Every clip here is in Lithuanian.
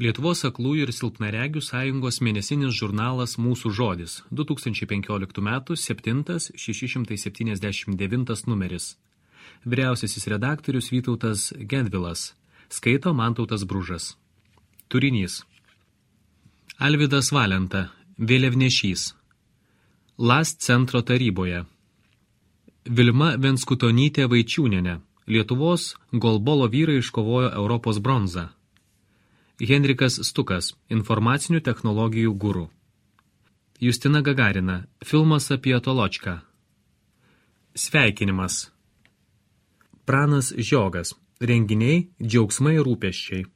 Lietuvos aklųjų ir silpnaregių sąjungos mėnesinis žurnalas Mūsų žodis, 2015 m. 7.679 numeris. Vyriausiasis redaktorius Vytautas Gedvilas, skaito Mantautas Bružas. Turinys. Alvydas Valenta, vėliavnešys. LAS centro taryboje. Vilma Venskutonytė Vaičiūnienė, Lietuvos golbolo vyrai iškovojo Europos bronzą. Henrikas Stukas, informacinių technologijų guru. Justina Gagarina, filmas apie Toločką. Sveikinimas. Pranas Žiogas, renginiai, džiaugsmai ir rūpesčiai.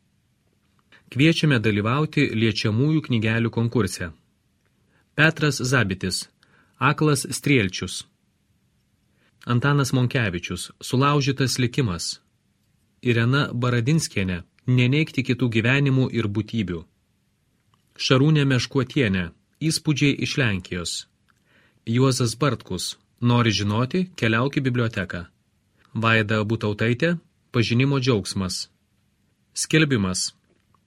Kviečiame dalyvauti liečiamųjų knygelių konkurse. Petras Zabitis, Aklas Strielčius. Antanas Monkevičius, Sulaužytas likimas. Irena Baradinskienė, Neneigti kitų gyvenimų ir būtybių. Šarūnė Meškuotienė, Įspūdžiai iš Lenkijos. Juozas Bartkus, Nori žinoti, keliauk į biblioteką. Vaida Butautaitė, Pažinimo džiaugsmas. Skelbimas.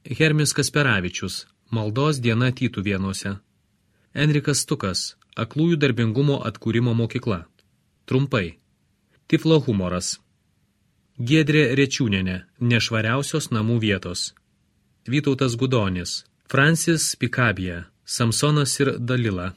Hermis Kasperavičius, Maldos diena Tytuvėnuose. Enrikas Stukas, Aklųjų darbingumo atkūrimo mokykla. Trumpai. Tiflo humoras. Giedrė Rečiūnienė, Nešvariausios namų vietos. Vytautas Gudonis, Francis Pikabija, Samsonas ir Dalila.